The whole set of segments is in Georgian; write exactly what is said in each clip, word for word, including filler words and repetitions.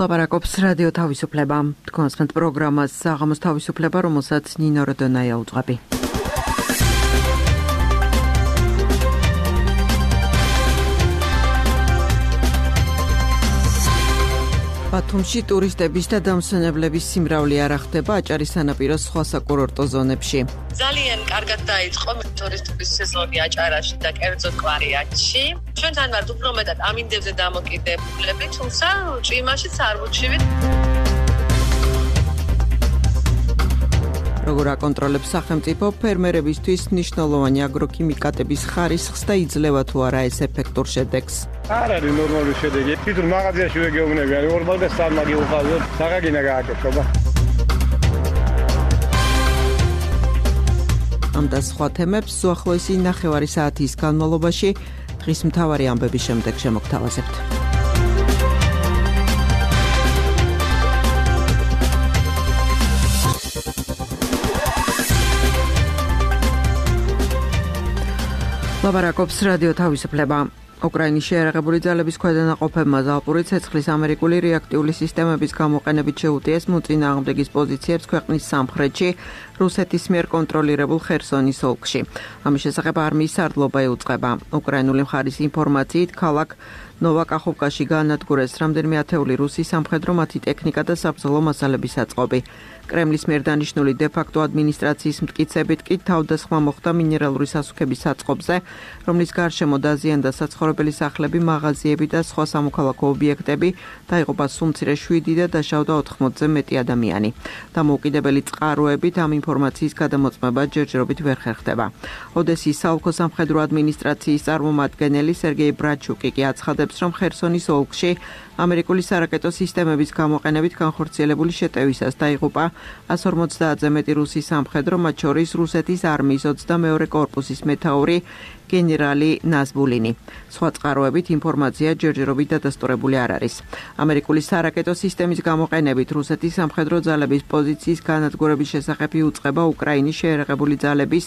ლაპარაკობს რადიო თავისუფლება. თქვენს პროგრამას საღამოს თავისუფლება, რომელსაც ნინო როდონაია უძღვები. ბათუმში ტურისტების და დამსვენებლების სიმრავლე არ ახდება აჭარის სანაპიროს სხვა საკურორტო ზონებში. ძალიან კარგად დაიწყო ტურისტების სეზონი აჭარაში და კერძოდ კვარიატში. ჩვენთან ვართ უფრო მეტად ამინდებზე დამოკიდებული, თუმცა ჭიმაშიც არ ვუჩივით. როგორ აკონტროლებს სახელმწიფო ფერმერებისთვის მნიშვნელოვანი აგროქიმიკატების ხარისხს და იძლევა თუ არა ეს ეფექტურ შედეგს? არ არის ნორმალური შედეგი. თვითონ მაღაზიაში ვეგეუბნები, არის ორ მაგას სამმაგი უყავდოთ, საღაგინა გააკეთება. ამ და სხვა თემებს უახლოესი ნახევარი საათის განმავლობაში დღის მთავარი ამბების შემდეგ შემოგთავაზებთ. ლაპარაკობს რადიო თავისუფლება. უკრაინის შეიარაღებული ძალების ქვედანაყოფებმა ზალპური ცეცხლის ამერიკული რეაქტიული სისტემების გამოყენებით შეუტიეს მოწინააღმდეგის პოზიციებს ქვეყნის სამხრეთში, რუსეთის მიერ კონტროლირებულ ხერსონის ოლქში. ამის შესახებ არმიის სარდლობა ეუწყება. უკრაინული მხარის ინფორმაციით, ქალაქ ნოვაკახოვკაში გაანადგურეს რამდენიმე ათეული რუსი სამხედრო მათი ტექნიკა და საბრძოლო მასალების აწყობი. კრემლის მიერ დანიშნული დე-ფაქტო ადმინისტრაციის მტკიცებით კი თავდასხმა მოხდა მინერალური სასუქების საწყობზე, რომლის გარშემო დაზიანდა საცხოვრებელი სახლები, მაღაზიები და სხვა სამოქალაქო ობიექტები, დაიღუპა სულ მცირე შვიდი და დაშავდა ოთხმოცზე მეტი ადამიანი. დამოუკიდებელი წყაროებით ამ ინფორმაციის გადამოწმება ჯერჯერობით ვერ ხერხდება. ოდესის საოლქო სამხედრო ადმინისტრაციის წარმომადგენელი სერგეი ბრაჩუკი კი აცხადებს, რომ ხერსონის ოლქში ამერიკული სარაკეტო სისტემების გამოყენებით განხორციელებული შეტევისას დაიღუპა ას ორმოცდაათზე მეტი რუსი სამხედრო, მათ შორის რუსეთის არმიის ოცდამეორე კორპუსის მეთაური გენერალი ნაზბულინი. სხვა წყაროებით ინფორმაცია ჯერჯერობით დადასტურებული არ არის. ამერიკული სარაკეტო სისტემის გამოყენებით რუსეთის სამხედრო ძალების პოზიციის განადგურების შესახებ იუწყება უკრაინის შეიარაღებული ძალების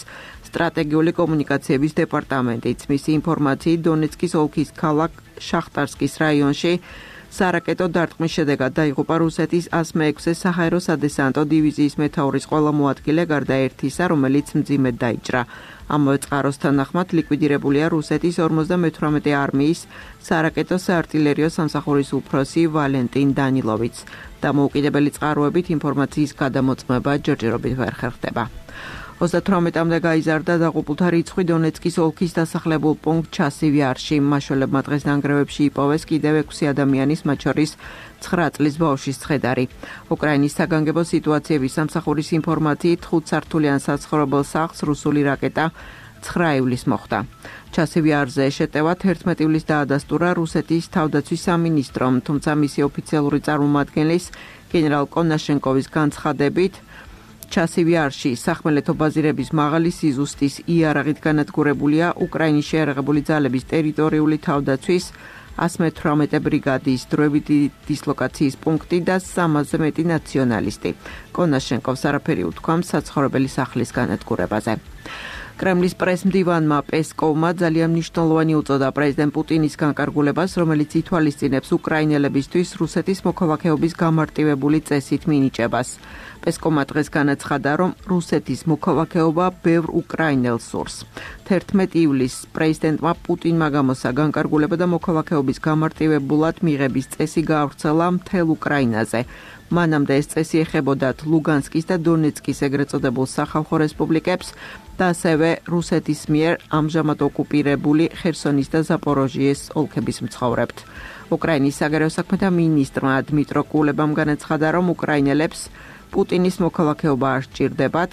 სტრატეგიული კომუნიკაციების დეპარტამენტიც. მისი ინფორმაციით, დონეცკის ოლქის ქალაქ შახტარსკის რაიონში სარაკეტო დარტყმის შედეგად დაიღუპა რუსეთის ას მეექვსე საჰაერო სადესანტო დივიზიის მეთაურის ყველა მოადგილე, გარდა ერთისა, რომელიც მძიმედ დაიჭრა. ამავე წყაროს თანახმად ლიკვიდირებულია რუსეთის ორმოცდამეთვრამეტე არმიის სარაკეტო საარტილერიო სამსახურის უფროსი ვალენტინ დანილოვიც. დამოუკიდებელი წყაროებით ინფორმაციის გადამოწმება ჯერჯერობით ვერ ხერხდება. ოცდათვრამეტამდე გაიზარდა დაღუპულთა რიცხვი დონეცკის ოლქის დასახლებულ პუნქტ ჩასივიარში. მმართველებმა დღეს ნანგრევებში იპოვეს კიდევ ექვსი ადამიანის, მათ შორის ცხრა წლის ბავშვის ცხედარი. უკრაინის საგანგებო სიტუაციების სამსახურის ინფორმაციით, ხუთსართულიან საცხოვრებელ სახლს რუსული რაკეტა ცხრა ივლისს მოხვდა. ჩასივიარზე შეტევა თერთმეტი ივლისს დაადასტურა რუსეთის თავდაცვის სამინისტრომ, თუმცა მისი ოფიციალური წარმომადგენლის გენერალ კონაშენკოვის განცხადებით, ჩასივიარში სახმელეთო ბაზირების მაღალი სიზუსტის იარაღით განადგურებულია უკრაინის შეიარაღებული ძალების ტერიტორიული თავდაცვის ას მეთვრამეტე ბრიგადის დროებითი დისლოკაციის პუნქტი და სამასზე მეტი ნაციონალისტი. კონაშენკოვს არაფერი უთქვა საცხოვრებელი სახლის განადგურებაზე. კრემლის პრესმდივანმა პესკოვმა ძალიან მნიშვნელოვანი უწოდა პრეზიდენტ პუტინის განკარგულებას, რომელიც ითვალისწინებს უკრაინელებისთვის რუსეთის მოქალაქეობის გამარტივებული წესით მინიჭებას. პესკოვმა დღეს განაცხადა, რომ რუსეთის მოქალაქეობა ბევრ უკრაინელს სურს. თერთმეტი ივლისს პრეზიდენტმა პუტინმა გამოსცა განკარგულება და მოქალაქეობის გამარტივებულად მიღების წესი გაავრცელა მთელ უკრაინაზე. მანამდე ეს წესი ეხებოდათ ლუგანსკის და დონეცკის ეგრეთ წოდებულ სახალხო რესპუბლიკებს და ასევე რუსეთის მიერ ამჟამად ოკუპირებული ხერსონის და ზაპოროჟიეს ოლქების მცხოვრებთ. უკრაინის საგარეო საქმეთა მინისტრმა დმიტრო კულებამ განაცხადა, რომ უკრაინელებს პუტინის მოქალაქეობა არ სჭირდებათ,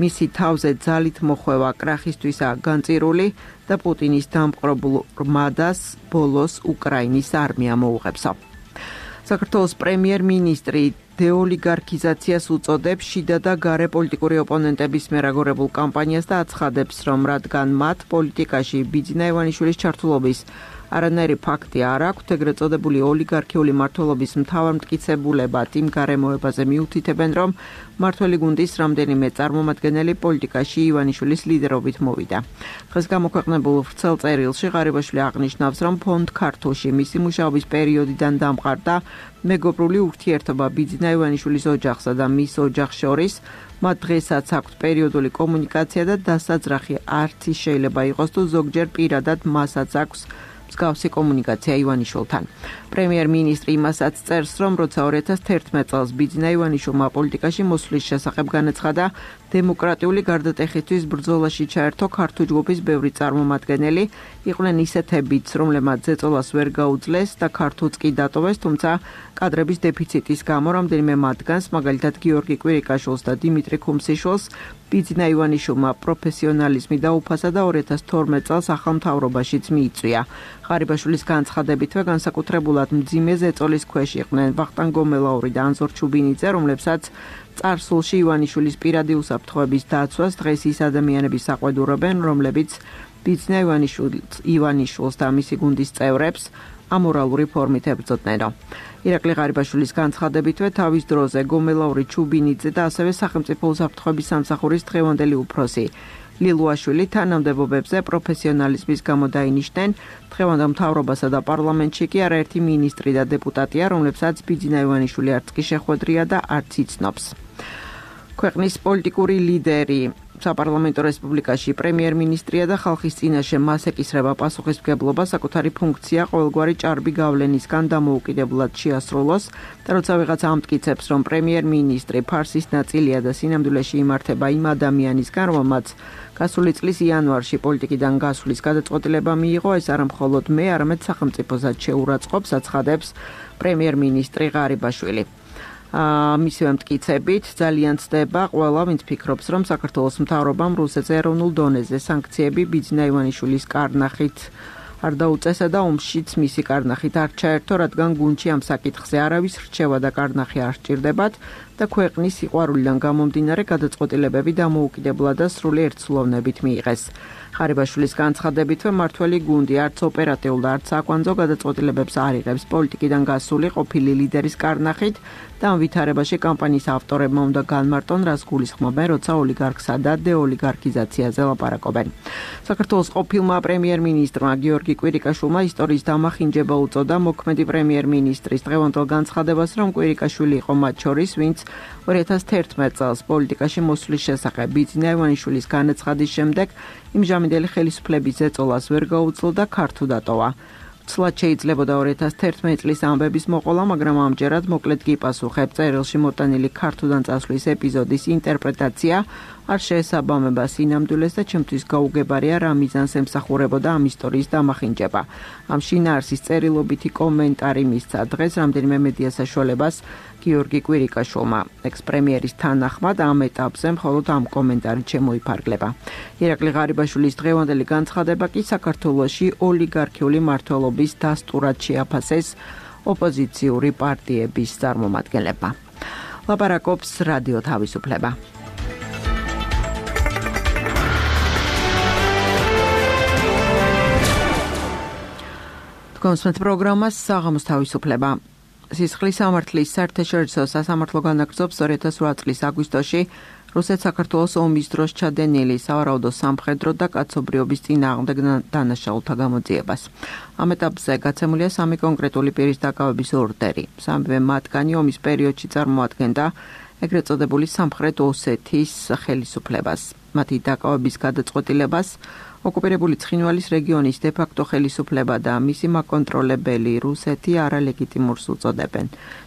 მისი თავზე ძალით მოხვევა კრახისთვისაა განწირული და პუტინის დამპყრობლ რმადას ბოლოს უკრაინის არმია მოუღებსო. საქართველოს პრემიერ-მინისტრი დეოლიგარქიზაციას უწოდებს შიდა და გარე პოლიტიკური ოპონენტების მიერ აგორებულ კამპანიას და აცხადებს, რომ რადგან მათ პოლიტიკაში ბიძინა ივანიშვილის ჩართულობის არანაირი ფაქტი არ აქვს, ეგრეთ წოდებული ოლიგარქიული მმართველობის მთავარმტკიცებულებად იმ გარემოებაზე მიუთითებენ, რომ მმართველი გუნდის რამდენიმე წარმომადგენელი პოლიტიკაში ივანიშვილის ლიდერობით მოვიდა. დღეს გამოქვეყნებულ ვრცელ წერილში ღარიბაშვილი აღნიშნავს, რომ ფონდ ქართულში მისი მუშაობის პერიოდიდან დამყარდა მეგობრული ურთიერთობა ბიძინა ივანიშვილის ოჯახსა და მის ოჯახს შორის. მათ დღესაც აქვთ პერიოდული კომუნიკაცია და დასაძრახი არც ის შეიძლება იყოს, თუ ზოგჯერ პირადად მასაც აქვს მსგავსი კომუნიკაცია ივანიშვილთან. პრემიერ-მინისტრი იმასაც წერს, რომ როცა ორი ათას თერთმეტ წელს ბიძინა ივანიშვილმა პოლიტიკაში მოსვლის შესახებ განაცხადა, დემოკრატიული გარდატეხისთვის ბრძოლაში ჩაერთო ქართული ჯგუფის ბევრი წარმომადგენელი, იყვნენ ისეთებიც, რომლებმაც ზეწოლას ვერ გაუძლეს და ქართულს კი დატოვეს, თუმცა კადრების დეფიციტის გამო რამდენიმე მათგანს, მაგალითად გიორგი კვირიკაშვილს და დიმიტრი ქუმსიშვილს, ბიძინა ივანიშვილმა პროფესიონალიზმი დაუფასა და ორი ათას თორმეტ წელს ახალ მთავრობაშიც მიიწვია. ღარიბაშვილის განცხადებითვე განსაკუთრებულად მძიმე ზეწოლის ქვეშ იყვნენ ვახტანგ გომელაური და ანზორ ჩუბინიძე, რომლებსაც წარსულში ივანიშვილის პირადი უსაფრთხოების დაცვას დღეს ის ადამიანები საყვედურობენ, რომლებიც ბიძინა ივანიშვილს და მისი გუნდის წევრებს ამორალური ფორმით ებრძოდნენ. ირაკლი ღარიბაშვილის განცხადებითვე თავის დროზე გომელაური, ჩუბინიძე და ასევე სახელმწიფო უსაფრთხოების სამსახურის დღევანდელი უფროსი ლილუაშვილი თანამდებობებზე პროფესიონალიზმის გამო დაინიშნენ. დღევანდელ მთავრობასა და პარლამენტში კი არაერთი მინისტრი და დეპუტატია, რომლებსაც ბიძინა ივანიშვილი არც კი შეხვედრია და არც იცნობს. ქვეყნის პოლიტიკური ლიდერი საპარლამენტო რესპუბლიკაში პრემიერ-მინისტრია და ხალხის წინაშე მას ეკისრება პასუხისმგებლობა საკუთარი ფუნქცია ყოველგვარი ჭარბი გავლენისგან დამოუკიდებლად შეასრულოს და როცა ვიღაცა ამტკიცებს, რომ პრემიერ-მინისტრი ფარსის ნაწილია და სინამდვილეში იმართება იმ ადამიანისგან, რომელმაც გასული წლის იანვარში პოლიტიკიდან გასვლის გადაწყვეტილება მიიღო, ეს არა მხოლოდ მე, არამედ სახელმწიფოსაც შეურაცხყოფს, აცხადებს პრემიერ-მინისტრი ღარიბაშვილი. მისივე მტკიცებით ძალიან ცდება ყველა, ვინც ფიქრობს, რომ საქართველოს მთავრობამ რუსეთზე ეროვნულ დონეზე სანქციები ბიძინა ივანიშვილის კარნახით არ დაუწესა და ომშიც მისი კარნახით არ ჩაერთო, რადგან გუნდში ამ საკითხზე არავის რჩევა და კარნახი არ სჭირდებათ და ქვეყნის სიყვარულიდან გამომდინარე გადაწყვეტილებები დამოუკიდებლად და სრული ერთსულოვნებით მიიღეს. ღარიბაშვილის განცხადებითვე მმართველი გუნდი არც ოპერატიულ და არც საკვანძო გადაწყვეტილებებს არ იღებს პოლიტიკიდან გასული ყოფილი ლიდერის კარნახით და ამ ვითარებაში კამპანიის ავტორებმა უნდა განმარტონ, რას გულისხმობენ, როცა ოლიგარქსა და დეოლიგარქიზაციაზე ლაპარაკობენ. საქართველოს ყოფილმა პრემიერ-მინისტრმა გიორგი კვირიკაშვილმა ისტორიის დამახინჯება უწოდა მოქმედი პრემიერ-მინისტრის დღევანდელ განცხადებას, რომ კვირიკაშვილი იყო მათ შორის, ვინც ორი ათას თერთმეტ წელს პოლიტიკაში მოსვლის შესახებ ბიძინა ივანიშვილის განაცხადის შემდეგ იმჟამინდელი ხელისუფლების ზეწოლას ვერ გაუძლო და ქართულ დატოვა. ცლად შეიძლებოდა ორი ათას თერთმეტ წლის ამბების მოყოლა, მაგრამ ამჯერად მოკლედ გიპასუხებ წერილში მოტანილი ქართულიდან წასვლის ეპიზოდის ინტერპრეტაცია არ შეესაბამება სინამდვილეს და ჩემთვის გაუგებარია რა მიზანს ემსახურებოდა ამ ისტორიის დამახინჯება. ამ შინაარსის წერილობითი კომენტარი მისცა დღეს რამდენიმე მედია საშუალებას გიორგი კვირიკაშვილმა. ექს-პრემიერის თანახმად ამ ეტაპზე მხოლოდ ამ კომენტარი შემოიფარგლება. ირაკლი ღარიბაშვილის დღევანდელი განცხადება კი საქართველოში ოლიგარქიული მმართველობის დასტურად შეაფასეს ოპოზიციური პარტიების წარმომადგენლებმა. ლაპარაკობს რადიო თავისუფლება. კონსმეთ პროგრამას საღამოს თავისუფლება. სისხლის სამართლის საერთაშორისო სასამართლო განაგრძობს ორი ათას ოთხ წლის აგვისტოში რუსეთ-საქართველოს ომის დროს ჩადენილი სავარაუდო სამხედრო და კაცობრიობის წინააღმდეგ დანაშაულთა გამოძიებას. ამ ეტაპზე გაცემულია სამი კონკრეტული პირის დაკავების ორდერი. სამივე მათგანი ომის პერიოდში წარმოადგენდა ეგრეთ წოდებული სამხრეთ ოსეთის ხელისუფლებას. მათი დაკავების გადაწყვეტილებას ოკუპირებული ცხინვალის რეგიონის დე-ფაქტო ხელისუფლება და მისი მაკონტროლებელი რუსეთი არალეგიტიმურს უწოდებენ.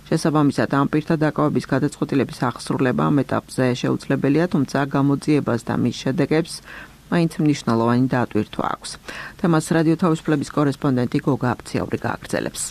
შესაბამისად, ამ პირთა დაკავების გადაწყვეტილების აღსრულება ამ ეტაპზე შეუძლებელია, თუმცა გამოძიებას და მის შედეგებს მაინც მნიშვნელოვანი დაატვირთვა აქვს. თემას რადიო თავისუფლების კორესპონდენტი გოგა აფციური გააგრძელებს.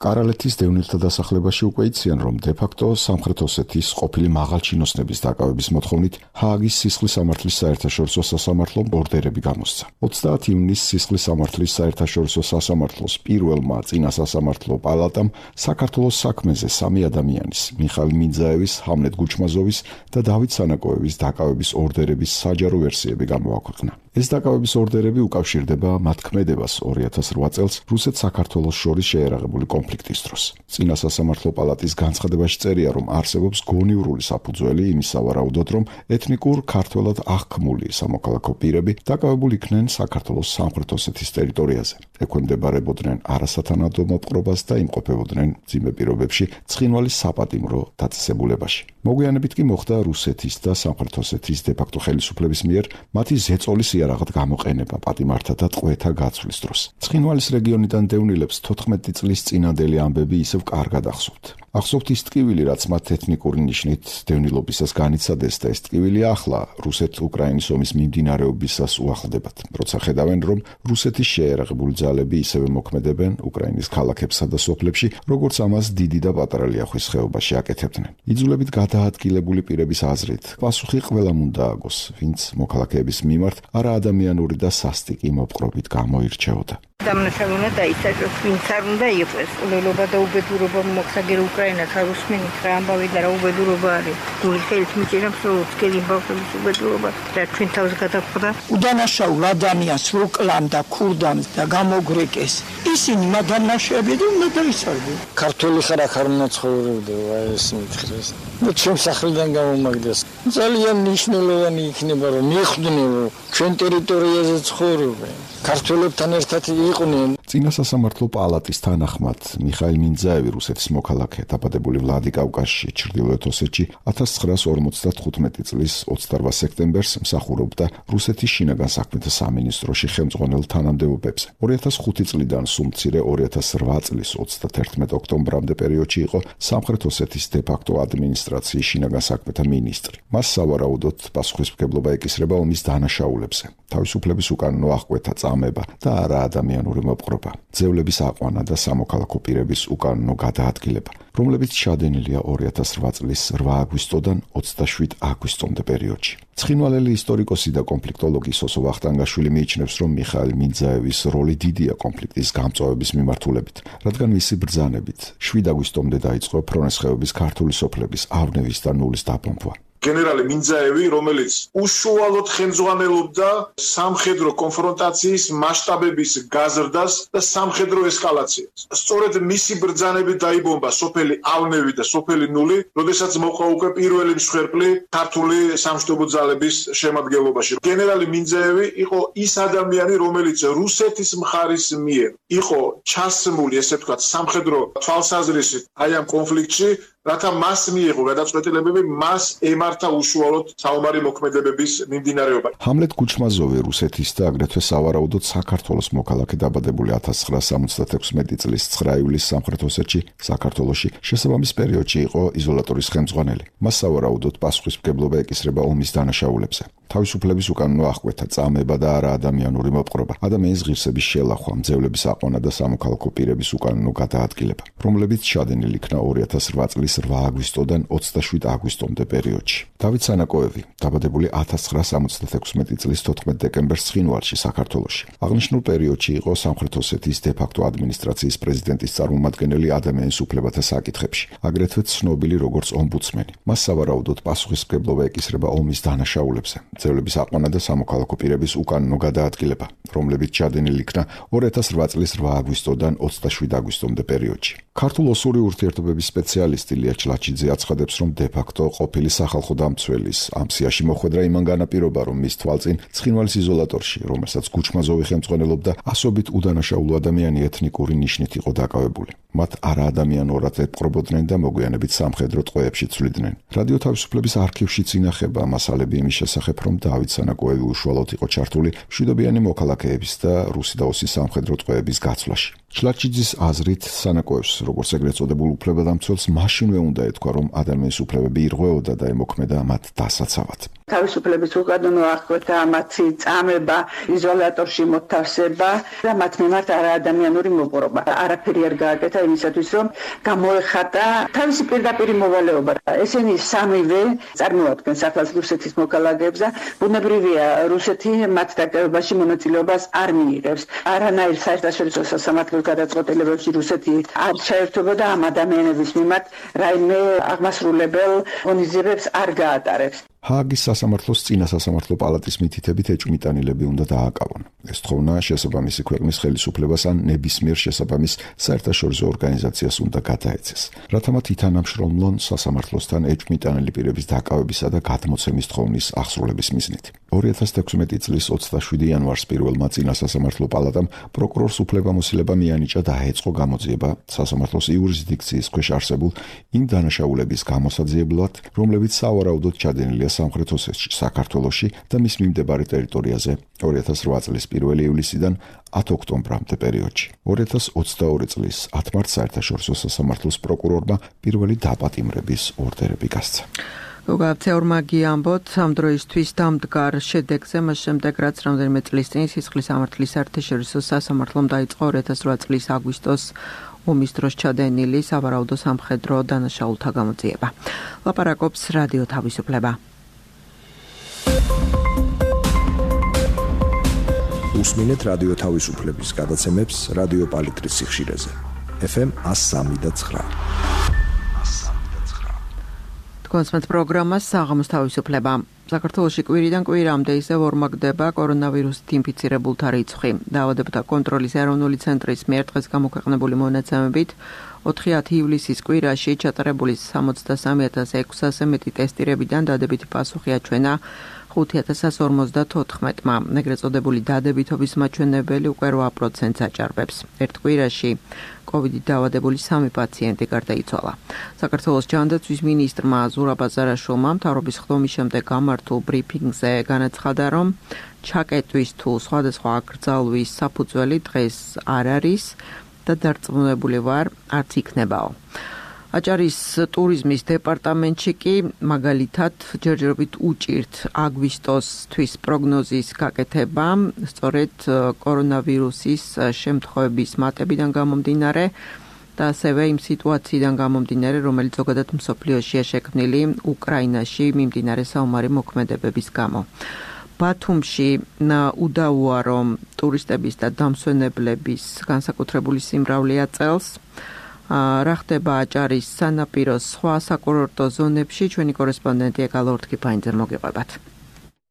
კარალეთის დევნილთა დასახლებაში უკვე იციან, რომ დე-ფაქტო სამხრეთ ოსეთის ყოფილი მაღალჩინოსნების დაკავების მოთხოვნით ჰააგის სისხლის სამართლის საერთაშორისო სასამართლომ ორდერები გამოსცა. ოცდაათი ივნისს სისხლის სამართლის საერთაშორისო სასამართლოს პირველმა წინა სასამართლო პალატამ საქართველოს საქმეზე სამი ადამიანის, მიხაილ მიძაევის, ჰამლეტ გუჩმაზოვის და დავით სანაკოევის დაკავების ორდერების საჯარო ვერსიები გამოაქვეყნა. ეს დაკავების ორდერები უკავშირდება მათ ქმედებას ორი ათას რვა წელს რუსეთ-საქართველოს შორის შეერაღებული კონფლიქტის დროს. წინა სასამართლო პალატის განცხადებაში წერია, რომ არსებობს გონივრული საფუძველი იმის სავარაუდოდ, რომ ეთნიკურ ქართველად აღქმული სამოქალაქო პირები დაკავებული იქნენ საქართველოს სამხრეთ ოსეთის ტერიტორიაზე. ექვემდებარებოდნენ არასათანადო მოპყრობას და იმყოფებოდნენ მძიმე პირობებში ცხინვალის საპატიმრო დაწესებულებაში. მოგვიანებით კი მოხდა რუსეთის და სამხრეთ ოსეთის დე-ფაქტო ხელისუფლების მიერ მათი ზეწოლის იარაღად გამოყენება პატიმართა და ტყვეთა გაცვლის დროს. ცხინვალის რეგიონიდან დევნილებს თოთხმეტი წლის წინანდელი ამბები ისევ კარგად ახსოვთ. ახსოვთ ის ტკივილი, რაც მათ ეთნიკური ნიშნით დევნილობისას განიცადეს და ეს ტკივილი ახლა რუსეთ-უკრაინის ომის მიმდინარეობისას უახლდებათ, როცა ხედავენ, რომ რუსეთის შეერაღებული ძალები ისევე მოქმედებენ უკრაინის ქალაქებსა და სოფლებში, როგორც ამას დიდი და პატარა ლიახვის ხეობაში აკეთებდნენ. იძულებით გადაადგილებული პირების აზრით, პასუხი ყველამ უნდა ააგოს, ვინც მოქალაქეების მიმართ არაადამიანური და სასტიკი მოპყრობით გამოირჩეოდა. დამნაშავე უნდა დაიცაჭოს, ვინც არ უნდა იყოს. ულელობა და უბედურობა მოხსაგერ უკრაინას არ უსმენით რა ამბავი და რა უბედურობა არის. გული ხელით მიჭირებს, რომ უცხელი ბავშვების უბედურობა და ჩვენ თავს გადახვდა. უდანაშაულ ადამიანს რო კლამდა, ქურდამს და გამოგვრეკეს. ისინი მადანაშები და უნდა დაიცარდნენ. ქართული ხარ ახარ უნდა ცხოვრობდე, აი ეს მითხრეს. და ჩვენ სახლიდან გამომაგდეს. ძალიან მნიშვნელოვანი იქნება, რომ მიხვდნენ, რომ ჩვენ ტერიტორიაზე ცხოვრობენ. ქართველებთან ერთად იყვნენ. წინა სასამართლო პალატის თანახმად მიხაილ მინძაევი, რუსეთის მოქალაქე, დაბადებული ვლადიკავკაზში, ჩრდილოეთ ოსეთში, ათას ცხრაას ორმოცდათხუთმეტი წლის ოცდარვა სექტემბერს მსახურობდა რუსეთის შინაგან საქმეთა სამინისტროში ხელმძღვანელ თანამდებობებზე. ორი ათას ხუთი წლიდან სულ მცირე ორი ათას რვა წლის ოცდათერთმეტი ოქტომბრამდე პერიოდში იყო სამხრეთ ოსეთის დე-ფაქტო ადმინისტრაციის შინაგან საქმეთა მინისტრი. მას სავარაუდოდ პასუხისმგებლობა ეკისრება ომის დანაშაულებზე, თავისუფლების უკანონო აღკვეთა წამება და არაადამიანური მოპყრობა, ძევლების აყვანა და სამოქალაქო პირების უკანონო გადაადგილება, რომლებიც ჩადენილია ორი ათას რვა წლის რვა აგვისტოდან ოცდაშვიდ აგვისტომდე პერიოდში. ცხინვალელი ისტორიკოსი და კონფლიქტოლოგი სოსო ვახტანგაშვილი მიიჩნევს, რომ მიხაილ მინძაევის როლი დიდია კონფლიქტის გამწვავების მიმართულებით, რადგან მისი ბრძანებით შვიდ აგვისტომდე დაიწყო ფრონეს ხეობის ქართული სოფლების ავნევის და ნულის დაბომბვა. გენერალი მინძაევი, რომელიც უშუალოდ ხელმძღვანელობდა სამხედრო კონფრონტაციის მასშტაბების გაზრდას და სამხედრო ესკალაციას. სწორედ მისი ბრძანებით დაიბომბა სოფელი ავნევი და სოფელი ნული, როდესაც მოყვა უკვე პირველი მსხვერპლი ქართული სამშვიდობო ძალების შემადგენლობაში. გენერალი მინძაევი იყო ის ადამიანი, რომელიც რუსეთის მხარის მიერ იყო ჩასმული, ესე ვთქვათ, სამხედრო თვალსაზრისით აი ამ კონფლიქტში, რათა მას მიიღო გადაწყვეტილებები, მას ემართა უშუალოდ საომარი მოქმედებების მიმდინარეობა. ჰამლეტ კუჩმაზოვი რუსეთის და აგრეთვე სავარაუდოდ საქართველოს მოქალაქე, დაბადებული ათას ცხრაას სამოცდათექვსმეტი წლის ცხრა ივლისს სამხრეთ ოსეთში, საქართველოში, შესაბამის პერიოდში იყო იზოლატორის ხელმძღვანელი. მას სავარაუდოდ პასუხისმგებლობა ეკისრება ომის დანაშაულებზე, თავისუფლების უკანონო აღკვეთა, წამება და არაადამიანური მოპყრობა, ადამიანის ღირსების შელახვა, მძევლების აყვანა და სამოქალაქო პირების უკანონო გადაადგილება, რომლებიც ჩადენილი იქნა ორი ათას რვა წლის რვა აგვისტოდან ოცდაშვიდ აგვისტომდე პერიოდში. დავით სანაკოევი, დაბადებული ათას ცხრაას სამოცდათექვსმეტი წლის თოთხმეტ დეკემბერს ცხინვალში, საქართველოში. აღნიშნულ პერიოდში იყო სამხრეთ ოსეთის დე-ფაქტო ადმინისტრაციის პრეზიდენტის წარმომადგენელი ადამიანის უფლებათა საკითხებში, აგრეთვე ცნობილი როგორც ომბუდსმენი. მას სავარაუდოდ პასუხისმგებლობა ეკისრება ომის დანაშაულებზე, ძევლების აყვანა და სამოქალაქო პირების უკანონო გადაადგილება, რომლებიც ჩადენილი იქნა ორი ათას რვა წლის რვა აგვისტოდან ოცდაშვიდ აგვისტომდე პერიოდში. ქართულ-ოსური ურთიერთობების სპეციალისტი ლია ჩლაჩიძე აცხადებს, რომ დე-ფაქტო ყოფილი სახალხო დამცველის ამ სიაში მოხვედრა იმან განაპირობა, რომ მის თვალწინ ცხინვალის იზოლატორში, რომელსაც კუჩმაზოვი ხელმძღვანელობდა, ასობით უდანაშაულო ადამიანი ეთნიკური ნიშნით იყო დაკავებული. მათ არაადამიანურად ეპყრობოდნენ და მოგვიანებით სამხედრო ტყვეებში ცვლიდნენ. რადიო თავისუფლების არქივშიც ინახება მასალები იმის შესახებ, რომ დავით სანაკოევი უშუალოდ იყო ჩართული მშვიდობიანი მოქალაქეების და რუსი და ოსის სამხედრო ტყვეების გაცვლაში. ჩლაჩიძის აზრით, სანაკოევს, როგორც ეგრეთ წოდებულ უფლებადამცველს, მაშინვე უნდა ეთქვა, რომ ადამიანის უფლებები ირღვეოდა და ემოქმედა მათ დასაცავად. თავისუფლების უკანონო აღკვეთა, მათი წამება, იზოლატორში მოთავსება და მათ მიმართ არაადამიანური მოპყრობა. არაფერი არ გააკეთა იმისათვის, რომ გამოეხატა თავისი პირდაპირი მოვალეობა. ესენი სამივე წარმოადგენს ახალ რუსეთის მოქალაქეებს და ბუნებრივია, რუსეთი მათ დაკავებაში მონაწილეობას არ მიიღებს. არანაირ საერთაშორისო სასამართლო გადაწყვეტილებებში რუსეთი არ ჩაერთვებოდა ამ ადამიანების მიმართ რაიმე აღმასრულებელ ღონისძიებებს არ გაატარებს. ჰააგის სასამართლოს წინა სასამართლო პალატის მითითებით ეჭვმიტანილები უნდა დააკავონ. ეს თხოვნა შესაბამისი ქვეყნის ხელისუფლებას ან ნებისმიერ შესაბამის საერთაშორისო ორგანიზაციას უნდა გადაეცეს, რათა მათ ითანამშრომლონ სასამართლოსთან ეჭვმიტანილი პირების დაკავებისა და გადმოცემის თხოვნის აღსრულების მიზნით. ორი ათას თექვსმეტი წლის ოცდაშვიდი იანვარს პირველმა წინა სასამართლო პალატამ პროკურორს უფლებამოსილება მიანიჭა და აეწყო გამოძიება სასამართლოს იურისდიქციის ქვეშ არსებულ იმ დანაშაულების გამოსაძიებლად, რომლებიც სავარაუდოდ ჩადენილია სამხრეთ ოსეთში, საქართველოში და მის მიმდებარე ტერიტორიაზე ორი ათას რვა წლის პირველი ივლისიდან ათი ოქტომბრამდე პერიოდში. ორი ათას ოცდაორი წლის ათი მარტს საერთაშორისო სასამართლოს პროკურორმა პირველი დაპატიმრების ორდერები გასცა. გოგავცეორმა გიამბოთ ამ დროისთვის დამდგარ შედეგზე, მას შემდეგ რაც რამდენიმე წლის წინ სისხლის სამართლის საერთაშორისო სასამართლომ დაიწყო ორი ათას რვა წლის აგვისტოს ომის დროს ჩადენილი სავარაუდო სამხედრო დანაშაულთა გამოძიება. ლაპარაკობს რადიო თავისუფლება. უსმინეთ რადიო თავისუფლების გადაცემებს რადიო პალიტრის სიხშირეზე. ეფ ემ εκατო სამი და ცხრა. კონსმეთ პროგრამას საღამოს თავისუფლება. საქართველოში კვირიდან კვირამდე ისევ ორმაგდება კორონავირუსით ინფიცირებულთა რიცხვი. დაავადებათა კონტროლის ეროვნული ცენტრის მიერ დღეს გამოქვეყნებული მონაცემებით ოთხი ივლისის კვირაში ჩატარებული სამოცდასამი ათას ექვსასი მეტი ტესტირებიდან დადებითი პასუხი აჩვენა ხუთი ათას ორმოცდათოთხმეტმა. ეგრეთ წოდებული დადებითობის მაჩვენებელი უკვე რვა პროცენტს აჭარბებს. ერთ კვირაში კოვიდით დაავადებული სამი პაციენტი გარდაიცვალა. საქართველოს ჯანდაცვის მინისტრმა ზურაბ აზარაშვილმა მთავრობის ხდომის შემდეგ გამართულ ბრიფინგზე განაცხადა, რომ ჩაკეტვის თუ სხვადასხვა აკრძალვის საფუძველი დღეს არ არის და დარწმუნებული ვარ, არც იქნებაო. აჭარის ტურიზმის დეპარტამენტში კი მაგალითად ჯერჯერობით უჭირთ აგვისტოსთვის პროგნოზის გაკეთება, სწორედ კორონავირუსის შემთხვევების მატებიდან გამომდინარე და ასევე იმ სიტუაციიდან გამომდინარე, რომელიც ზოგადად მსოფლიოშია შექმნილი უკრაინაში მიმდინარე საომარი მოქმედებების გამო. ბათუმში უდავოა, რომ ტურისტების და დამსვენებლების განსაკუთრებული სიმრავლეა წელს. რა ხდება აჭარის სანაპიროს სხვა საკურორტო ზონებში, ჩვენი კორესპონდენტი ეკალო ორთქიფაინძე მოგიყვებათ.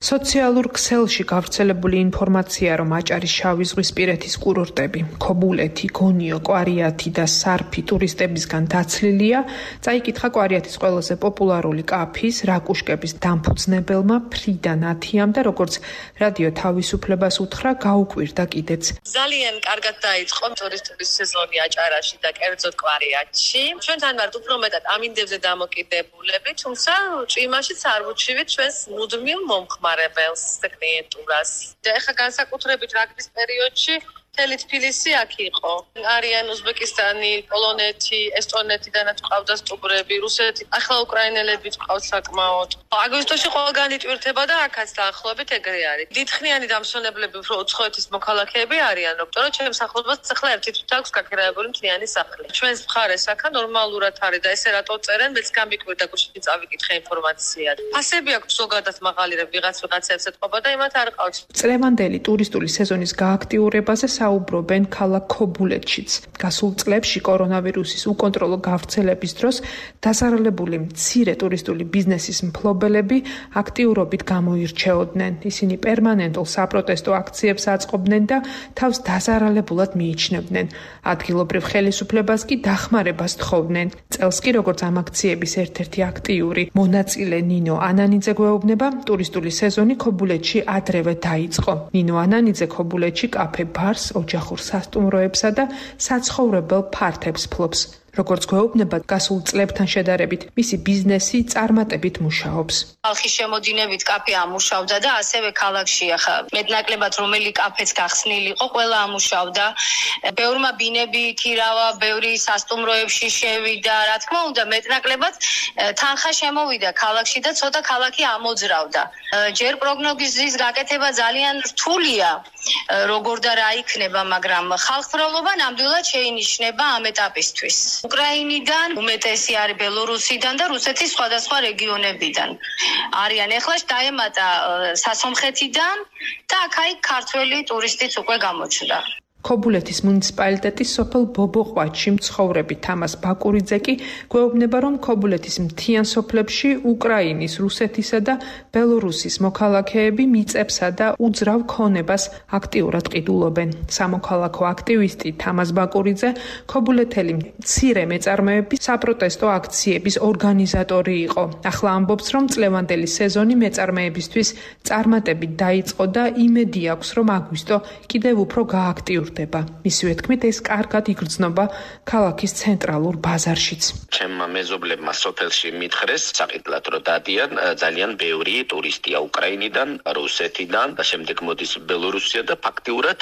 სოციალურ ქსელში გავრცელებული ინფორმაცია, რომ აჭარის შავი ზღვის პირეთის კურორტები, ქობულეთი, გონიო, კვარიათი და სარფი ტურისტებისგან დაცლილია, წაიკითხა კვარიათის ყველაზე პოპულარული კაფის, რაკუშკების დამფუძნებელმა ფრიდა ნათიამ და როგორც რადიო თავისუფლებას უთხრა, გაუკვირდა კიდეც. ძალიან კარგად დაიწყო ტურისტების სეზონი აჭარაში და კერძოდ კვარიათში. ჩვენთან ვართ უფრო მეტად ამინდებზე დამოკიდებულები, თუმცა ჭვიმაშიც არ ვუჩივით ჩვენს მუდმივ მომხმარებელს. კლიენტურას. და ეხლა განსაკუთრებით რაგბის პერიოდში მთელი თბილისი აქ იყო. არიან უზბეკისტანი, პოლონეთი, ესტონეთიდანაც ყავდა სტუმრები, რუსეთი, ახლა უკრაინელები ყავთ საკმაოდ. აგვისტოში ყველგან იტვირთება და აქაც დაახლოებით ეგრე არის. დიდხნიანი დამსვენებლები უფრო უცხოეთის მოქალაქეები არიან, როცა ჩემს ახლობლად ახლა ერთი თვით აქვს გაქრეებული მთლიანი სახლი. ჩვენს მხარეს აქა ნორმალურად არის და ესე რატო წერენ, მეც გამიკვირდა გუშინ წავიკითხე ინფორმაცია. ფასები აქვს ზოგადად მაღალი, რომ ვიღაც ვიღაცებს ეთყობა და იმათ არ ყავს. წლევანდელი ტურისტული სეზონის გააქტიურებაზე საუბრობენ ქალაქ ქობულეთშიც. გასულ წლებში კორონავირუსის უკონტროლო გავრცელების დროს დასარალებული მცირე ტურისტული ბიზნესის მფლობელები აქტიურობით გამოირჩეოდნენ. ისინი პერმანენტულ საპროტესტო აქციებს აწყობდნენ და თავს დასარალებულად მიიჩნევდნენ. ადგილობრივ ხელისუფლებას კი დახმარებას თხოვდნენ. წელს კი როგორც ამ აქციების ერთ-ერთი აქტიური მონაწილე ნინო ანანიძე გვეუბნება, ტურისტული სეზონი ქობულეთში ადრევე დაიწყო. ნინო ანანიძე ქობულეთში კაფე ბარს, ოჯახურ სასტუმროებსა და საცხოვრებელ ფართებს ფლობს. როგორც გვეუბნება, გასულ წლებთან შედარებით მისი ბიზნესი წარმატებით მუშაობს. ხალხის შემოდინებით კაფე ამუშავდა და ასევე ქალაქში ახლა მეტნაკლებად რომელი კაფეც გახსნილი იყო, ყველა ამუშავდა. ბევრმა ბინები ქირავა, ბევრი სასტუმროებში შევიდა, რა თქმა უნდა, მეტნაკლებად თანხა შემოვიდა ქალაქში და ცოტა ქალაქი ამოძრავდა. ჯერ პროგნოზის გაკეთება ძალიან რთულია, როგორ და რა იქნება, მაგრამ ხალხმრავლობა ნამდვილად შეინიშნება ამ ეტაპისთვის. უკრაინიდან, უმეტესი არის ბელორუსიდან და რუსეთის სხვადასხვა რეგიონებიდან. არიან ეხლა დაემატა სასომხეთიდან და აქ-აქ ქართველი ტურისტიც უკვე გამოჩნდა. ქობულეთის მუნიციპალიტეტის სოფელ ბობოყვაჩი მცხოვრები თამას ბაკურიძე კი გვეუბნება, რომ ქობულეთის მთიან სოფლებში უკრაინის, რუსეთისა და ბელორუსის მოქალაქეები მიწებსა და უძრავ ქონებას აქტიურად ყიდულობენ. სამოქალაქო აქტივისტი თამას ბაკურიძე ქობულეთელი მცირე მეწარმეების საპროტესტო აქციების ორგანიზატორი იყო. ახლა ამბობს, რომ წლევანდელი სეზონი მეწარმეებისთვის წარმატებით დაიწყო და იმედი აქვს, რომ აგვისტო კიდევ უფრო გააქტიურდება. მისივე თქმით, ეს კარგად იგრძნობა ქალაქის ცენტრალურ ბაზარშიც. ჩემმა მეზობლებმა სოფელში მითხრეს, საყიდლად რომ დადიან ძალიან ბევრი ტურისტია უკრაინიდან, რუსეთიდან და შემდეგ მოდის ბელორუსია და ფაქტიურად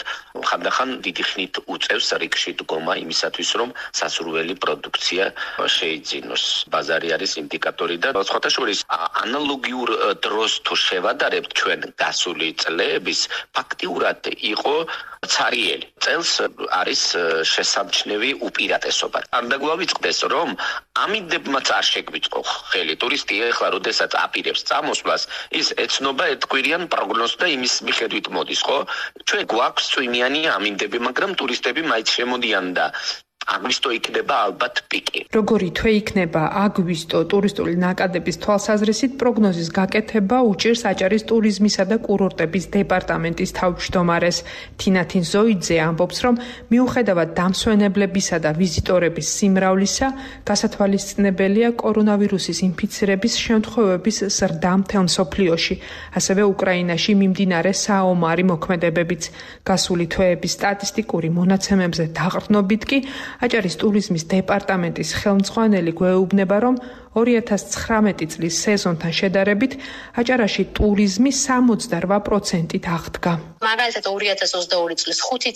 ხანდახან დიდი ხნით უწევს რიგში დგომა იმისათვის, რომ სასურველი პროდუქცია შეიძინოს. ბაზარი არის ინდიკატორი და სხვათა შორის ანალოგიურ დროს თუ შევადარებთ ჩვენ გასული წლების, ფაქტიურად იყო ცარიელი. წელს არის შესამჩნევი უპირატესობა. არ დაგვავიწყდეს, რომ ამინდებმაც არ შეგვიწყო ხელი. ტურისტი ახლა როდესაც აპირებს წამოსვლას, ის ეცნობა ერთკვირიან პროგნოზს და იმის მიხედვით მოდის, ხო? ჩვენ გვაქვს წვიმიანი ამინდები, მაგრამ ტურისტები მაინც შემოდიან და აგვისტო იქნება ალბათ პიკი. როგორი თვე იქნება აგვისტო ტურისტული ნაკადების თვალსაზრისით პროგნოზის გაკეთება უჭირს აჭარის ტურიზმისა და კურორტების დეპარტამენტის თავმჯდომარეს თინათინ ზოიძე ამბობს, რომ მიუხედავად დამსვენებლებისა და ვიზიტორების სიმრავლისა, გასათვალისწინებელია კორონავირუსის ინფიცირების შემთხვევების ზრდა მთელ მსოფლიოში, ასევე უკრაინაში მიმდინარე საომარი მოქმედებებიც. გასული თვეების სტატისტიკური მონაცემებზე დაყრდნობით კი აჭარის ტურიზმის დეპარტამენტის ხელმძღვანელი გვეუბნება, რომ ორი ათას ცხრამეტი წლის სეზონთან შედარებით აჭარაში ტურიზმი სამოცდარვა პროცენტით აღდგა. მაგალითად ორი ათას ოცდაორი წლის ხუთი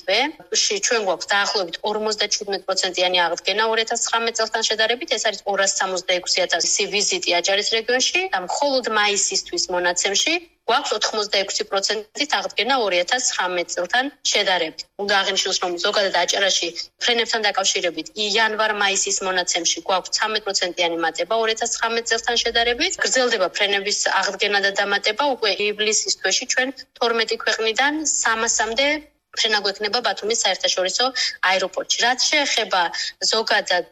თვეში ჩვენ გვაქვს დაახლოებით ორმოცდაჩვიდმეტ პროცენტიანი აღდგენა ორი ათას ცხრამეტ წელთან შედარებით, ეს არის ორას სამოცდაექვსი ათასი ვიზიტი აჭარის რეგიონში და მხოლოდ მაისისთვის მონაცემში გვაქვს ოთხმოცდაექვსი პროცენტით აღდგენა ორი ათას ცხრამეტ წელთან შედარებით. უნდა აღინიშნოს, რომ ზოგადად აჭარაში ფრენებთან დაკავშირებით იანვარ-მაისის მონაცემში გვაქვს ცხრამეტ პროცენტიანი მატება ორი ათას ცხრამეტ წელთან შედარებით. გრძელდება ფრენების აღდგენა და დამატება უკვე ივლისის თვეში ჩვენ თორმეტი ქვეყნიდან სამასამდე ფრენა გვექნება ბათუმის საერთაშორისო აეროპორტში. რაც შეეხება ზოგადად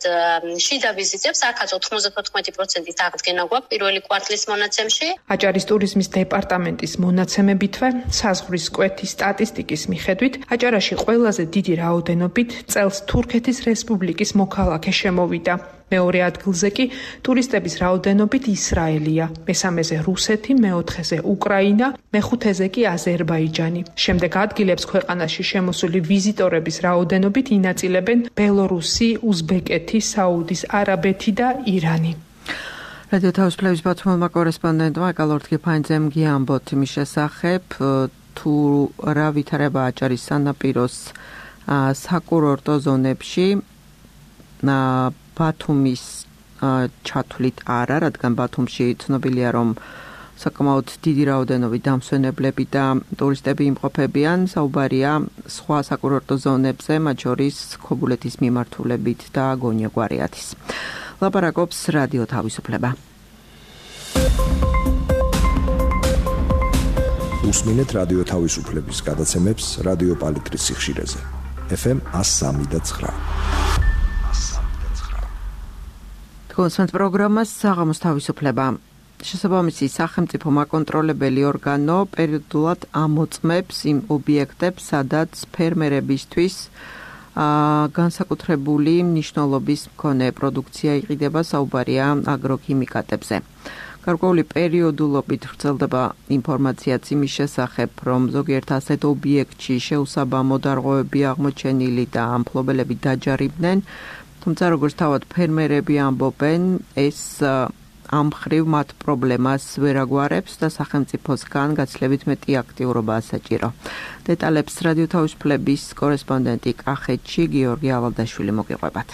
შიდა ვიზიტებს, აქაც ოთხმოცდათოთხმეტი პროცენტით აღდგენა გვაქვს პირველი კვარტლის მონაცემში. აჭარის ტურიზმის დეპარტამენტის მონაცემებითვე, საზღვრის კვეთის სტატისტიკის მიხედვით, აჭარაში ყველაზე დიდი რაოდენობით წელს თურქეთის რესპუბლიკის მოქალაქე შემოვიდა. მეორე ადგილზე კი ტურისტების რაოდენობით ისრაელია, მესამეზე რუსეთი, მეოთხეზე უკრაინა, მეხუთეზე კი აზერბაიჯანი. შემდეგ ადგილებს ქვეყანაში შემოსული ვიზიტორების რაოდენობით ინაწილებენ ბელორუსი, უზბეკეთი, საუდის არაბეთი და ირანი. რადიო თავისუფლების ბათუმელმა კორესპონდენტმა კალორთ გიფაინძემ გიამბოთ იმის შესახებ, თუ რა ვითარება აჭარის სანაპიროს საკურორტო ზონებში ბათუმის ჩათვლით არა, რადგან ბათუმში ცნობილია, რომ საკმაოდ დიდი რაოდენობით დამსვენებლები და ტურისტები იმყოფებიან. საუბარია სხვა საკურორტო ზონებზე, მათ შორის ქობულეთის მიმართულებით და გონია გვარიათის. ლაპარაკობს რადიო თავისუფლება. უსმინეთ რადიო თავისუფლების გადაცემებს რადიო პალიტრის სიხშირეზე. ეფ ემ ას სამი და ცხრა. კონსვენთ პროგრამას საღამოს თავისუფლება. შესაბამისი სახელმწიფო მაკონტროლებელი ორგანო პერიოდულად ამოწმებს იმ ობიექტებს, სადაც ფერმერებისთვის განსაკუთრებული მნიშვნელობის მქონე პროდუქცია იყიდება, საუბარია აგროქიმიკატებზე. გარკვეული პერიოდულობით ვრცელდება ინფორმაციაც იმის შესახებ, რომ ზოგიერთ ასეთ ობიექტში შეუსაბამო დარღვევები აღმოჩენილი და ამ მფლობელები დაჯარიმდნენ. თუმცა როგორც თავად ფერმერები ამბობენ, ეს ამ მხრივ მათ პრობლემას ვერ აგვარებს და სახელმწიფოსგან გაცილებით მეტი აქტიურობაა საჭირო. დეტალებს რადიო თავისუფლების კორესპონდენტი კახეთში გიორგი ავალდაშვილი მოგიყვებათ.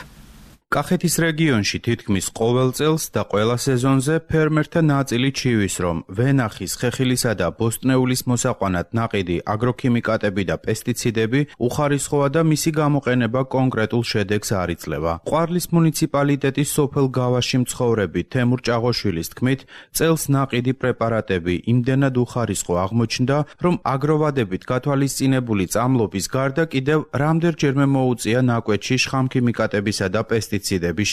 კახეთის რეგიონში თითქმის ყოველ წელს და ყველა სეზონზე ფერმერთა ნაწილი ჩივის, რომ ვენახის, ხეხილისა და ბოსტნეულის მოსაყვანად ნაყიდი აგროქიმიკატები და პესტიციდები უხარისხოა და მისი გამოყენება კონკრეტულ შედეგს არ იძლევა. ყვარლის მუნიციპალიტეტის სოფელ გავაში მცხოვრები თემურ ჭაღოშვილის თქმით, წელს ნაყიდი პრეპარატები იმდენად უხარისხო აღმოჩნდა, რომ აგროვადებით გათვალისწინებული წამლობის გარდა კიდევ რამდენჯერმე მოუწია ნაკვეთში შხამქიმიკატებისა და პესტიციდების ციდების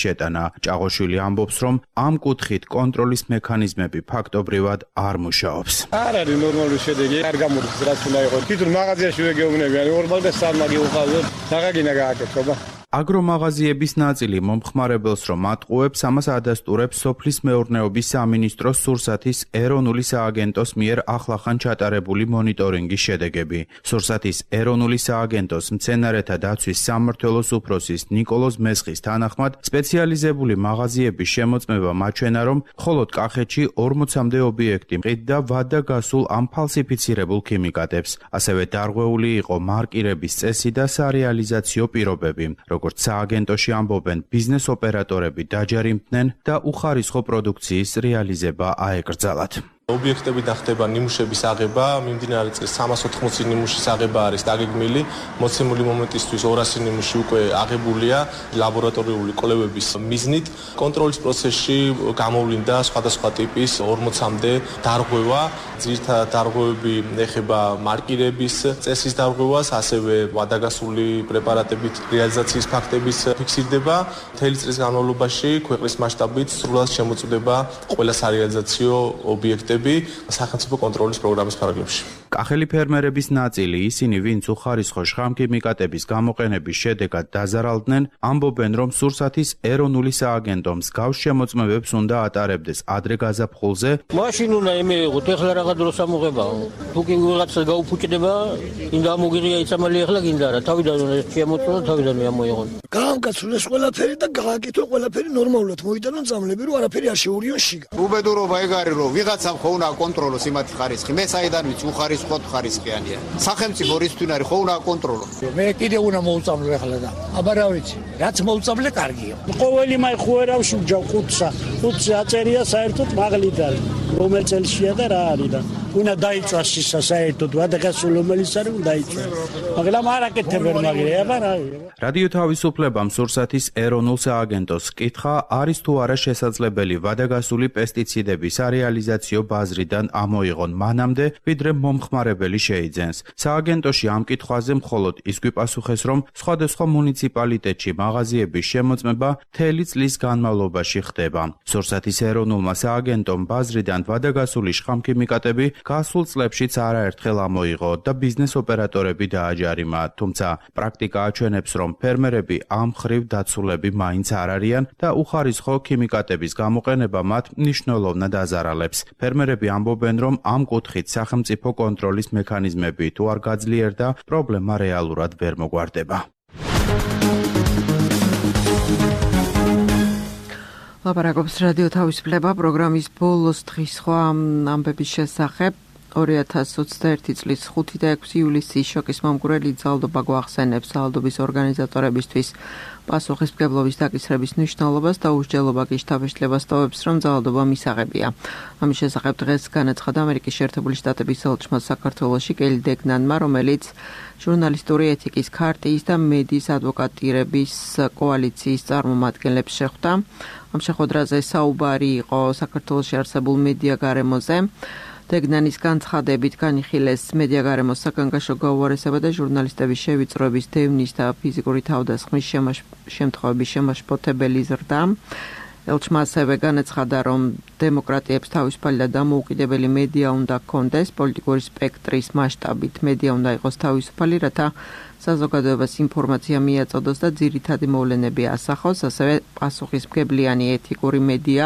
ჭაღოშვილი ამბობს, რომ ამ კუთხით კონტროლის მექანიზმები ფაქტობრივად არ მუშაობს. არ არის ნორმალური შედეგი, არ გამოდის რაც უნდა იყოს. თვითონ მაღაზიაში ვეგეუბნები, არის ორ და სამ მაგი უყავდათ, საღაგინა გააკეთება. აგრომაღაზიების ნაწილი მომხმარებელს რომ ატყუებს, ამას ადასტურებს სოფლის მეურნეობის სამინისტროს სურსათის ეროვნული სააგენტოს მიერ ახლახან ჩატარებული მონიტორინგის შედეგები. სურსათის ეროვნული სააგენტოს მცენარეთა დაცვის სამმართველოს უფროსის ნიკოლოზ მესხის თანახმად, სპეციალიზებული მაღაზიების შემოწმება მაჩვენა, რომ მხოლოდ კახეთში ორმოცამდე ობიექტი მყიდდა ვადა გასულ ამ ფალსიფიცირებულ ქიმიკატებს. ასევე დარღვეული იყო მარკირების წესი და სარეალიზაციო პირობები. როგორც სააგენტოში ამბობენ, ბიზნეს ოპერატორები დაჯერიმდნენ და უხარისხო პროდუქციის რეალიზება აეკრძალათ. ობიექტებიდან ხდება ნიმუშების აღება, მიმდინარე წელს სამას ოთხმოცი ნიმუშის აღება არის დაგეგმილი, მოცემული მომენტისთვის ორასი ნიმუში უკვე აღებულია ლაბორატორიული კვლევების მიზნით. კონტროლის პროცესში გამოვლინდა სხვადასხვა ტიპის ორმოცამდე დარღვევა, ძირითადად დარღვევები ეხება მარკირების წესის დარღვევას, ასევე ვადაგასული პრეპარატებით რეალიზაციის ფაქტების ფიქსირდება. მთელი წლის განმავლობაში ქვეყნის მასშტაბით სრულად შემოწმდება ყველა სარეალიზაციო ობიექტები სახელმწიფო კონტროლის პროგრამის ფარგლებში. კახელი ფერმერების ნაწილი, ისინი, ვინც უხარისხო შხამქიმიკატების გამოყენების შედეგად დაზარალდნენ, ამბობენ, რომ სურსათის ეროვნული სააგენტო მსგავს შემოწმებებს უნდა ატარებდეს ადრე გაზაფხულზე. მაშინ უნდა ემეიღოთ, ეხლა რაღაც დროს ამოღებაო. თუ კი ვიღაცა გაუფუჭდება, ინდა ამოგიღია იცამალი ეხლა გინდა რა, თავიდან უნდა შემოწმო და თავიდანვე ამოიღონ. გაამკაცრეს ყველაფერი და გააკეთო ყველაფერი ნორმალურად, მოიტანონ წამლები, რომ არაფერი არ შეურიონ შიგა. უბედურობა ეგ არის, რომ ვიღაცამ ხო უნდა აკონტროლოს იმათი ხარისხი, მე საიდან ვიცი უხარისხო ხარისხიანია. სახელმწიფო რისთვის არის ხო უნდა აკონტროლო. მე კიდე უნდა მოუწამლო ეხლა და. აბა რა ვიცი, რაც მოუწამლე კარგია. ყოველი მაი ხუერავში ვჯავ ხუთსა. ხუთსა აწერია საერთოდ მაღლიდან. რომელ წელშია და რა არის და უნდა დაიწვას ისა საერთოდ ვადაგასული რომელიც არის უნდა დაიწვას. მაგრამ არ აკეთებენ მაგრამ აბა რა. რადიო თავისუფლებამ სურსათის ეროვნულ სააგენტოს კითხა, არის თუ არა შესაძლებელი ვადაგასული პესტიციდების სარეალიზაციო ბაზრიდან ამოიღონ მანამდე, ვიდრე მომხმარებელი შეიძენს. სააგენტოში ამ კითხვაზე მხოლოდ ის გვიპასუხეს, რომ სხვადასხვა მუნიციპალიტეტში მაღაზიების შემოწმება მთელი წლის განმავლობაში ხდება. სურსათის ეროვნულმა სააგენტომ ბაზრიდან ვადაგასული შხამქიმიკატები გასულ წლებშიც არაერთხელ ამოიღო და ბიზნეს ოპერატორები დააჯარიმა, თუმცა პრაქტიკა აჩვენებს, რომ ფერმერები ამ ხრივ დაცულები მაინც არ არიან და უხარისხო ქიმიკატების გამოყენება მათ მნიშვნელოვნად აზარალებს. ფერმერები ამბობენ, რომ ამ კუთხით სახელმწიფო კონტროლის მექანიზმები თუ არ გაძლიერდა, პრობლემა რეალურად ვერ მოგვარდება. ლაპარაკობს რადიო თავისუფლება პროგრამის ბოლოს დღის სხვა ამბების შესახებ. ორი ათას ოცდაერთი წლის ხუთი და ექვსი ივლისის შოკის მომგვრელი ძალდობა გვახსენებს ძალდობის ორგანიზატორებისთვის პასუხისმგებლობის დაკისრების მნიშვნელობას და უშჯელობა კი შთაბეჭდილებას ტოვებს, რომ ძალადობა მისაღებია. ამის შესახებ დღეს განაცხადა ამერიკის შეერთებული შტატების ელჩმა საქართველოში კელი დეგნანმა, რომელიც ჟურნალისტური ეთიკის ქარტიის და მედიის ადვოკატირების კოალიციის წარმომადგენლებს შეხვდა. ამ შეხვედრაზე საუბარი იყო საქართველოში არსებულ მედია გარემოზე. დეგნანის განცხადებით განიხილეს მედია გარემოს საგანგაშო გაუარესება და ჟურნალისტების შევიწროების დევნის და ფიზიკური თავდასხმის შემთხვევების შემაშფოთებელი ზრდა. ელჩმა ასევე განაცხადა, რომ დემოკრატიებს თავისუფალი და დამოუკიდებელი მედია უნდა ჰქონდეს, პოლიტიკური სპექტრის მასშტაბით მედია უნდა იყოს თავისუფალი, რათა საზოგადოებას ინფორმაცია მიაწოდოს და ძირითადი მოვლენები ასახოს, ასევე პასუხისმგებლიანი ეთიკური მედია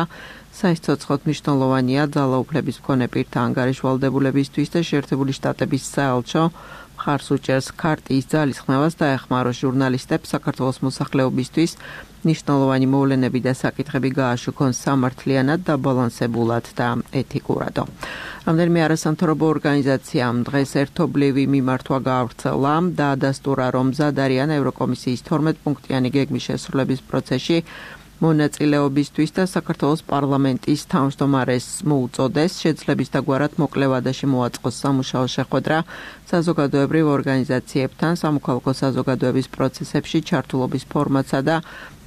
საიცოცხლოდ მნიშვნელოვანია ძალაუფლების მქონე პირთა ანგარიშვალდებულებისთვის და შეერთებული შტატების საელჩო მხარს უჭერს ქარტიის ძალისხმევას და ეხმარო ჟურნალისტებს საქართველოს მოსახლეობისთვის ნიშნულოვანი მოვლენები და საკითხები გააშუქონ სამართლიანად, დაბალანსებულად და ეთიკურადო. რამდენიმე არასამთავრობო ორგანიზაციამ დღეს ერთობლივი მიმართვა გაავრცელა და ადასტურა, რომ მზად არიან ევროკომისიის თორმეტ პუნქტიანი გეგმის შესრულების პროცესში მონაწილეობისთვის და საქართველოს პარლამენტის თავმჯდომარეს მოუწოდეს შეძლების დაგვარად მოკლე ვადაში მოაწყოს სამუშაო შეხვედრა საზოგადოებრივ ორგანიზაციებთან სამოქალაქო საზოგადოების პროცესებში ჩართულობის ფორმატსა და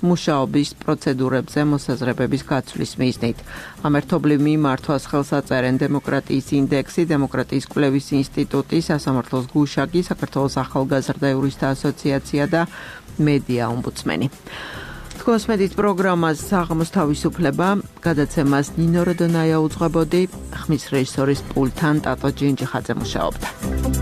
მუშაობის პროცედურებზე მოსაზრებების გაცვლის მიზნით. ამ ერთობლივ მიმართვას ხელს აწერენ დემოკრატიის ინდექსი, დემოკრატიის კვლევის ინსტიტუტი, სასამართლოს გუშაგი, საქართველოს ახალგაზრდა იურისტთა ასოციაცია და მედია ომბუდსმენი. კოსმეტის პროგრამას საღამოს თავისუფლება გადაცემას ნინო როდონაია უძღვებოდი, ხმის რეჟისორის პულტთან ტატო ჯინჯიხაძე მუშაობდა.